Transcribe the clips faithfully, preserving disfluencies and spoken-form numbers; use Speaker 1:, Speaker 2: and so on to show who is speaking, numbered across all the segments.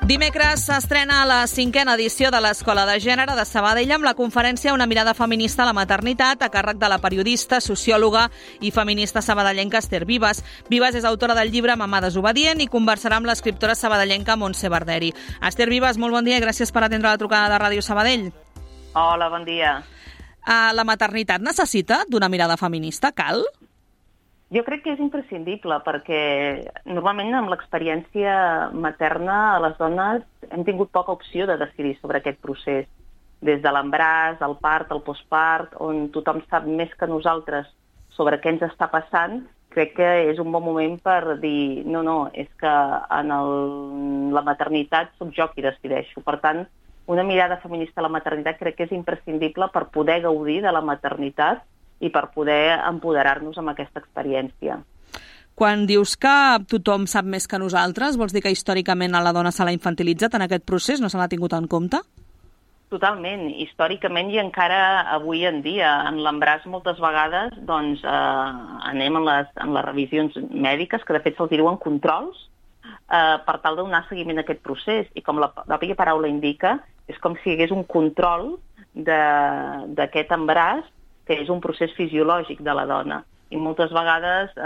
Speaker 1: Dimecres s'estrena la cinquena edició de l'Escola de Gènere de Sabadell amb la conferència Una mirada feminista a la maternitat a càrrec de la periodista, sociòloga i feminista sabadellenca Esther Vives. Vives és autora del llibre Mamà desobedient i conversarà amb l'escriptora sabadellenca Montse Barderi. Esther Vives, molt bon dia i gràcies per atendre la trucada de Ràdio Sabadell.
Speaker 2: Hola, bon dia.
Speaker 1: Uh, la maternitat necessita d'una mirada feminista? Cal?
Speaker 2: Jo crec que és imprescindible perquè normalment amb l'experiència materna les dones hem tingut poca opció de decidir sobre aquest procés. Des de l'embaràs, el part, el postpart, on tothom sap més que nosaltres sobre què ens està passant, crec que és un bon moment per dir no, no, és que en el, la maternitat soc jo qui decideixo. Per tant, una mirada feminista a la maternitat crec que és imprescindible per poder gaudir de la maternitat i per poder empoderar-nos amb aquesta experiència.
Speaker 1: Quan dius que tothom sap més que nosaltres, vols dir que històricament a la dona se l'ha infantilitzat en aquest procés? No se l'ha tingut en compte?
Speaker 2: Totalment. Històricament i encara avui en dia. En l'embaràs moltes vegades doncs, eh, anem en les, en les revisions mèdiques, que de fet se'ls diuen controls, eh, per tal de donar seguiment a aquest procés. I com la pròpia paraula indica, és com si hi hagués un control d'aquest embaràs, que és un procés fisiològic de la dona. I moltes vegades eh,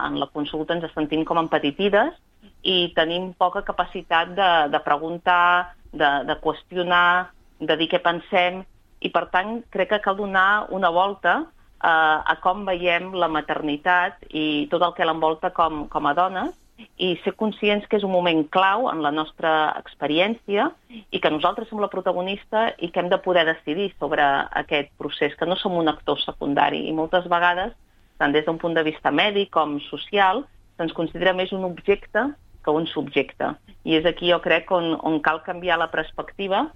Speaker 2: en la consulta ens sentim com empetitides i tenim poca capacitat de, de preguntar, de, de qüestionar, de dir què pensem, i per tant crec que cal donar una volta eh, a com veiem la maternitat i tot el que l'envolta com, com a dones, i ser conscients que és un moment clau en la nostra experiència i que nosaltres som la protagonista i que hem de poder decidir sobre aquest procés, que no som un actor secundari. I moltes vegades, tant des d'un punt de vista mèdic com social, se'ns considera més un objecte que un subjecte. I és aquí, jo crec, on, on cal canviar la perspectiva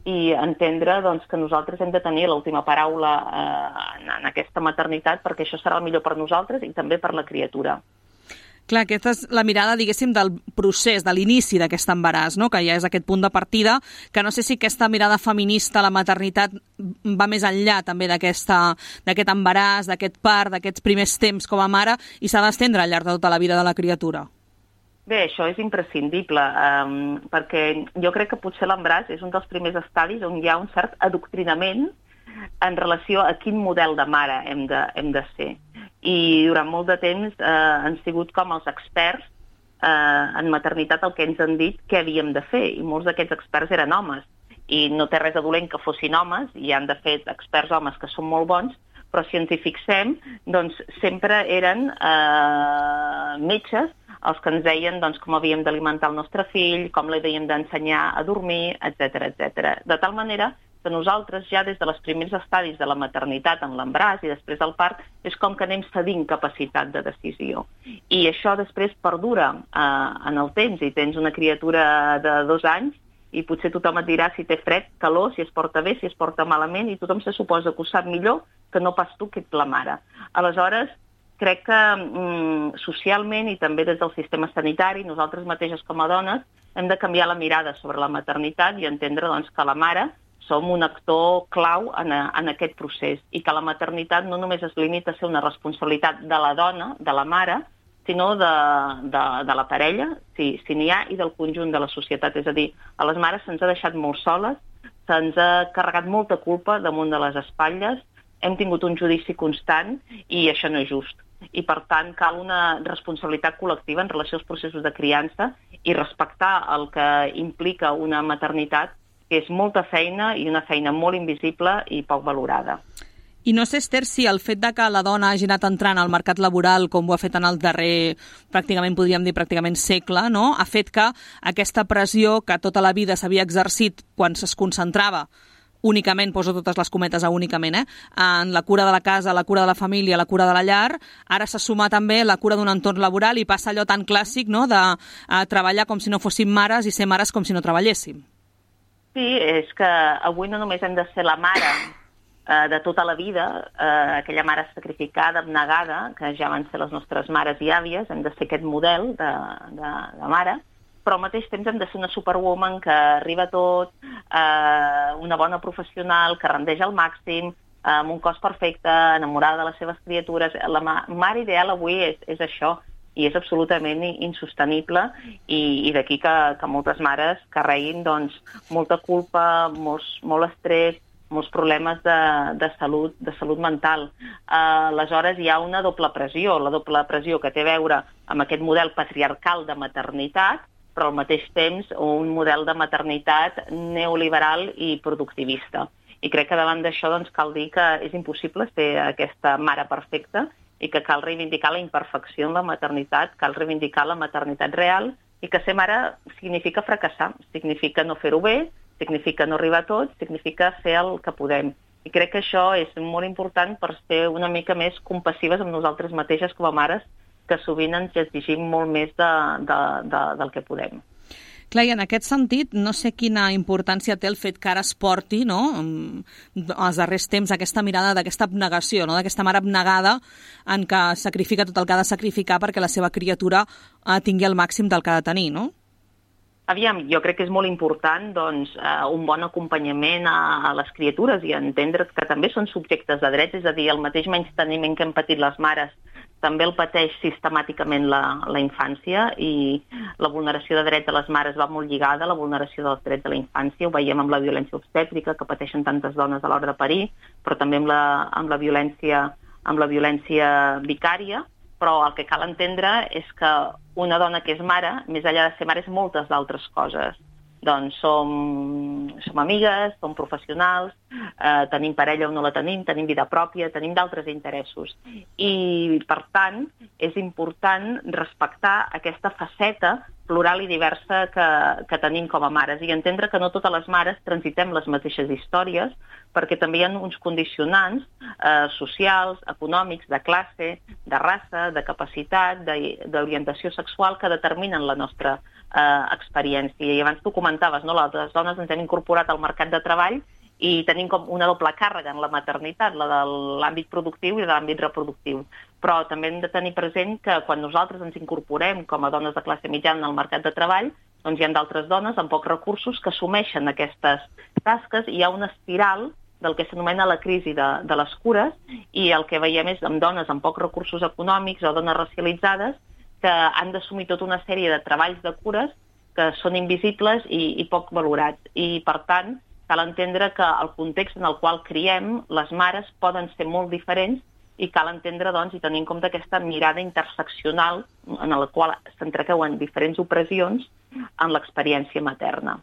Speaker 2: i entendre doncs, que nosaltres hem de tenir l'última paraula eh, en, en aquesta maternitat, perquè això serà el millor per nosaltres i també per la criatura.
Speaker 1: Clar, aquesta és la mirada, diguéssim, del procés, de l'inici d'aquest embaràs, no? Que ja és aquest punt de partida, que no sé si aquesta mirada feminista a la maternitat va més enllà també d'aquest embaràs, d'aquest part, d'aquests primers temps com a mare, i s'ha d'estendre al llarg de tota la vida de la criatura.
Speaker 2: Bé, això és imprescindible, um, perquè jo crec que potser l'embaràs és un dels primers estadis on hi ha un cert adoctrinament en relació a quin model de mare hem de, hem de ser. I durant molt de temps eh, han sigut com els experts eh, en maternitat el que ens han dit què havíem de fer, i molts d'aquests experts eren homes, i no té res de dolent que fossin homes, i han de fer experts homes que són molt bons, però si ens hi fixem, doncs sempre eren eh, metges els que ens deien doncs, com havíem d'alimentar el nostre fill, com l'havíem d'ensenyar a dormir, etcètera, etcètera. De tal manera que nosaltres ja des de les primers estadis de la maternitat en l'embaràs i després del part és com que anem cedint capacitat de decisió. I això després perdura eh, en el temps, i tens una criatura de dos anys i potser tothom et dirà si té fred, calor, si es porta bé, si es porta malament, i tothom se suposa que ho sap millor que no pas tu, que ets la mare. Aleshores, crec que mm, socialment i també des del sistema sanitari, nosaltres mateixes com a dones hem de canviar la mirada sobre la maternitat i entendre doncs, que la mare som un actor clau en, a, en aquest procés, i que la maternitat no només es limita a ser una responsabilitat de la dona, de la mare, sinó de, de, de la parella, si, si n'hi ha, i del conjunt de la societat. És a dir, a les mares se'ns ha deixat molt soles, se'ns ha carregat molta culpa damunt de les espatlles, hem tingut un judici constant i això no és just. I per tant cal una responsabilitat col·lectiva en relació als processos de criança i respectar el que implica una maternitat, que és molta feina i una feina molt invisible i poc valorada.
Speaker 1: I no sé, Esther, si el fet de que la dona hagi anat entrant al mercat laboral, com ho ha fet en el darrer, pràcticament podríem dir pràcticament segle, no? Ha fet que aquesta pressió que tota la vida s'havia exercit quan es concentrava únicament, poso totes les cometes a únicament, eh? en la cura de la casa, la cura de la família, la cura de la llar, ara se suma també la cura d'un entorn laboral i passa allò tan clàssic, no?, de a treballar com si no fóssim mares i ser mares com si no treballéssim.
Speaker 2: Sí, és que avui no només hem de ser la mare eh, de tota la vida, eh, aquella mare sacrificada, abnegada, que ja van ser les nostres mares i àvies, hem de ser aquest model de, de, de mare, però al mateix temps hem de ser una superwoman que arriba a tot, eh, una bona professional, que rendeix al màxim, eh, amb un cos perfecte, enamorada de les seves criatures. La ma mare ideal avui és, és això, i és absolutament insostenible i, i d'aquí que, que moltes mares carreguin doncs, molta culpa, molts, molt estrès, molts problemes de, de, salut, de salut mental. Uh, aleshores hi ha una doble pressió, la doble pressió que té a veure amb aquest model patriarcal de maternitat, però al mateix temps un model de maternitat neoliberal i productivista. I crec que davant d'això doncs, cal dir que és impossible ser aquesta mare perfecta i que cal reivindicar la imperfecció en la maternitat, cal reivindicar la maternitat real i que ser mare significa fracassar, significa no fer-ho bé, significa no arribar a tot, significa fer el que podem. I crec que això és molt important per ser una mica més compassives amb nosaltres mateixes com a mares, que sovint ens exigim molt més de, de, de, del que podem.
Speaker 1: Clar, i en aquest sentit, no sé quina importància té el fet que ara es porti, no?, als darrers temps, aquesta mirada d'aquesta abnegació, no?, d'aquesta mare abnegada en què sacrifica tot el que ha de sacrificar perquè la seva criatura eh, tingui el màxim del que ha de tenir, no?
Speaker 2: Aviam, jo crec que és molt important doncs, eh, un bon acompanyament a, a les criatures i entendre que també són subjectes de drets, és a dir, el mateix menysteniment que hem patit les mares també el pateix sistemàticament la, la infància i la vulneració de drets de les mares va molt lligada a la vulneració dels drets de la infància. Ho veiem amb la violència obstètrica que pateixen tantes dones a l'hora de parir, però també amb la, amb la, violència, amb la violència vicària. Però el que cal entendre és que una dona que és mare, més enllà de ser mare, és moltes d'altres coses. Doncs som, som amigues, som professionals, eh, tenim parella o no la tenim, tenim vida pròpia, tenim d'altres interessos. I, per tant, és important respectar aquesta faceta plural i diversa que, que tenim com a mares i entendre que no totes les mares transitem les mateixes històries perquè també hi ha uns condicionants eh, socials, econòmics, de classe, de raça, de capacitat, d'orientació sexual que determinen la nostra eh, experiència. I abans tu comentaves, no? Les dones ens hem incorporat al mercat de treball i tenim com una doble càrrega en la maternitat, la de l'àmbit productiu i de l'àmbit reproductiu. Però també hem de tenir present que quan nosaltres ens incorporem com a dones de classe mitjana al mercat de treball, doncs hi ha d'altres dones amb pocs recursos que assumeixen aquestes tasques i hi ha una espiral del que s'anomena la crisi de, de les cures i el que veiem és amb dones amb pocs recursos econòmics o dones racialitzades que han d'assumir tota una sèrie de treballs de cures que són invisibles i, i poc valorats. I, per tant, cal entendre que el context en el qual criem les mares poden ser molt diferents i cal entendre doncs, i tenir en compte aquesta mirada interseccional en la qual s'entrecauen diferents opressions en l'experiència materna.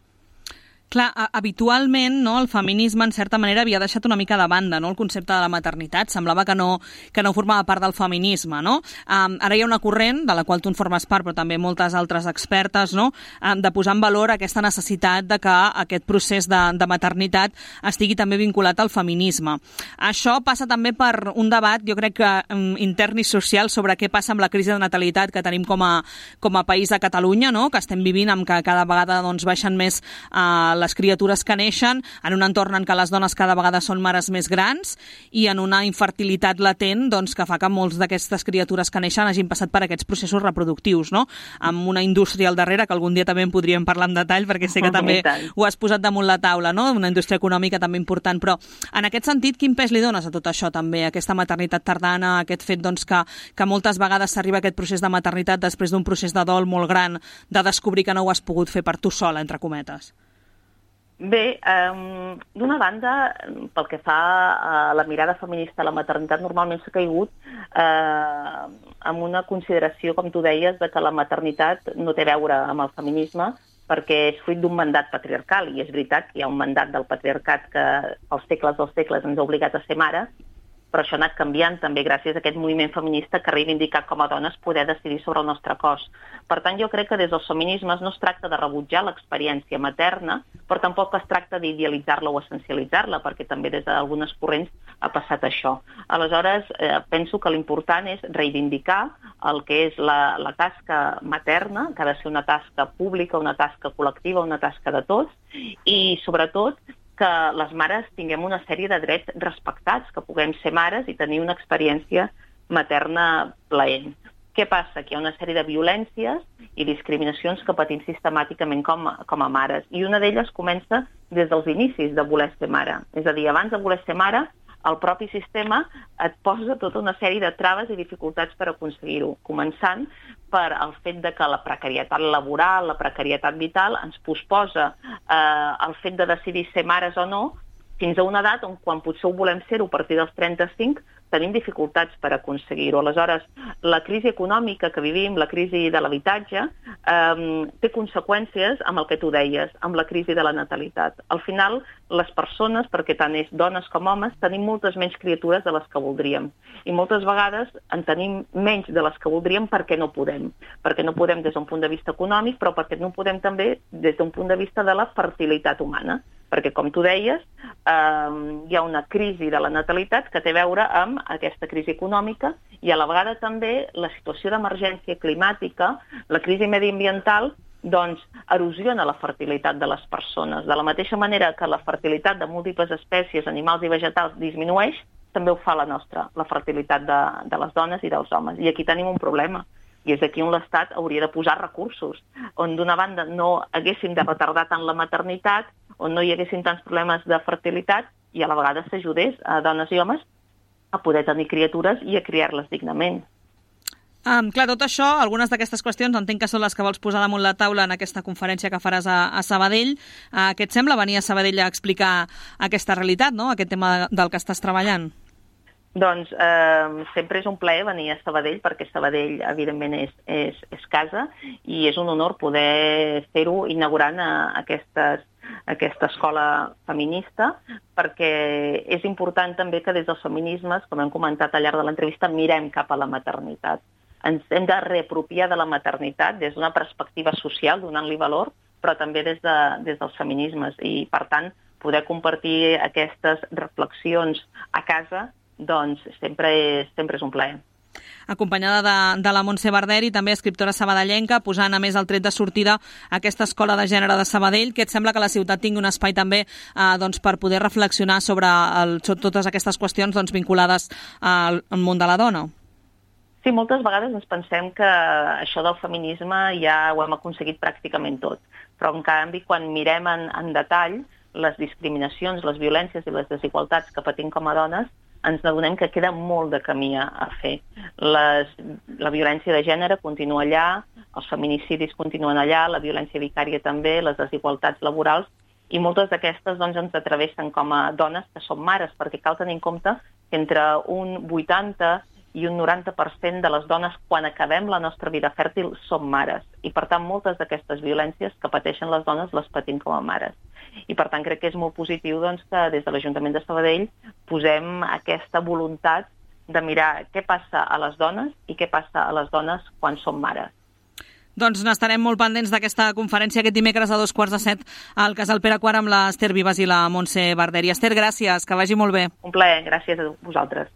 Speaker 1: Clar, habitualment no, el feminisme en certa manera havia deixat una mica de banda, no, el concepte de la maternitat, semblava que no, que no formava part del feminisme, no? Um, ara hi ha una corrent, de la qual tu en formes part, però també moltes altres expertes, no, um, de posar en valor aquesta necessitat de que aquest procés de, de maternitat estigui també vinculat al feminisme. Això passa també per un debat, jo crec que um, intern i social, sobre què passa amb la crisi de natalitat que tenim com a, com a país a Catalunya, no, que estem vivint amb que cada vegada doncs, baixen més uh, les criatures que neixen en un entorn en què les dones cada vegada són mares més grans i en una infertilitat latent doncs, que fa que molts d'aquestes criatures que neixen hagin passat per aquests processos reproductius, no? Amb una indústria al darrere, que algun dia també en podríem parlar en detall, perquè sé que també ho has posat damunt la taula, no? Una indústria econòmica també important, però en aquest sentit, quin pes li dones a tot això també, a aquesta maternitat tardana, a aquest fet doncs, que, que moltes vegades s'arriba a aquest procés de maternitat després d'un procés de dol molt gran, de descobrir que no ho has pogut fer per tu sola, entre cometes?
Speaker 2: Bé, um, d'una banda, pel que fa a la mirada feminista a la maternitat, normalment s'ha caigut eh, amb una consideració, com tu deies, de que la maternitat no té a veure amb el feminisme perquè és fruit d'un mandat patriarcal, i és veritat que hi ha un mandat del patriarcat que als segles dels segles ens ha obligat a ser mare, però això ha anat canviant també gràcies a aquest moviment feminista que ha reivindicat com a dones poder decidir sobre el nostre cos. Per tant, jo crec que des dels feminismes no es tracta de rebutjar l'experiència materna, però tampoc es tracta d'idealitzar-la o essencialitzar-la, perquè també des d'algunes corrents ha passat això. Aleshores, eh, penso que l'important és reivindicar el que és la, la tasca materna, que ha de ser una tasca pública, una tasca col·lectiva, una tasca de tots, i sobretot que les mares tinguem una sèrie de drets respectats, que puguem ser mares i tenir una experiència materna plaent. Què passa? Que hi ha una sèrie de violències i discriminacions que patim sistemàticament com, com a mares. I una d'elles comença des dels inicis de voler ser mare. És a dir, abans de voler ser mare, el propi sistema et posa tota una sèrie de traves i dificultats per aconseguir-ho, començant per el fet de que la precarietat laboral, la precarietat vital, ens posposa eh, el fet de decidir ser mares o no fins a una edat on quan potser ho volem ser-ho a partir dels trenta-cinc tenim dificultats per aconseguir-ho. Aleshores, la crisi econòmica que vivim, la crisi de l'habitatge, eh, té conseqüències amb el que tu deies, amb la crisi de la natalitat. Al final, les persones, perquè tant és dones com homes, tenim moltes menys criatures de les que voldríem. I moltes vegades en tenim menys de les que voldríem perquè no podem. Perquè no podem des d'un punt de vista econòmic, però perquè no podem també des d'un punt de vista de la fertilitat humana. Perquè, com tu deies, eh, hi ha una crisi de la natalitat que té a veure amb aquesta crisi econòmica i a la vegada també la situació d'emergència climàtica, la crisi mediambiental, doncs erosiona la fertilitat de les persones. De la mateixa manera que la fertilitat de múltiples espècies, animals i vegetals disminueix, també ho fa la nostra, la fertilitat de, de les dones i dels homes. I aquí tenim un problema. I és aquí on l'Estat hauria de posar recursos, on d'una banda no haguéssim de retardar tant la maternitat, on no hi haguessin tants problemes de fertilitat i a la vegada s'ajudés a dones i homes a poder tenir criatures i a criar-les dignament.
Speaker 1: Um, clar, tot això, algunes d'aquestes qüestions entenc que són les que vols posar damunt la taula en aquesta conferència que faràs a, a Sabadell. Uh, què et sembla venir a Sabadell a explicar aquesta realitat, no? Aquest tema del que estàs treballant?
Speaker 2: Doncs eh, sempre és un plaer venir a Sabadell, perquè Sabadell, evidentment, és, és, és casa i és un honor poder fer-ho inaugurant a aquestes, aquesta escola feminista, perquè és important també que des dels feminismes, com hem comentat al llarg de l'entrevista, mirem cap a la maternitat. Ens hem de reapropiar de la maternitat des d'una perspectiva social, donant-li valor, però també des, de, des dels feminismes. I, per tant, poder compartir aquestes reflexions a casa doncs sempre és, sempre és un plaer.
Speaker 1: Acompanyada de, de la Montse Barderi, també escriptora sabadellenca, posant a més el tret de sortida a aquesta escola de gènere de Sabadell, que et sembla que la ciutat tingui un espai també eh, doncs, per poder reflexionar sobre, el, sobre totes aquestes qüestions doncs, vinculades al, al món de la dona?
Speaker 2: Sí, moltes vegades ens pensem que això del feminisme ja ho hem aconseguit pràcticament tot, però en canvi quan mirem en, en detall les discriminacions, les violències i les desigualtats que patim com a dones, ens adonem que queda molt de camí a fer. Les, la violència de gènere continua allà, els feminicidis continuen allà, la violència vicària també, les desigualtats laborals, i moltes d'aquestes doncs, ens atravessen com a dones que som mares, perquè cal tenir en compte que entre un vuitanta i un noranta per cent de les dones, quan acabem la nostra vida fèrtil, som mares. I, per tant, moltes d'aquestes violències que pateixen les dones les patim com a mares. I, per tant, crec que és molt positiu doncs, que des de l'Ajuntament de Sabadell posem aquesta voluntat de mirar què passa a les dones i què passa a les dones quan som mares.
Speaker 1: Doncs n'estarem molt pendents d'aquesta conferència aquest dimecres a dos quarts de set al Casal Pere quart amb l'Ester Vives i la Montse Barderi. Ester, gràcies, que vagi molt bé.
Speaker 2: Un plaer, gràcies a vosaltres.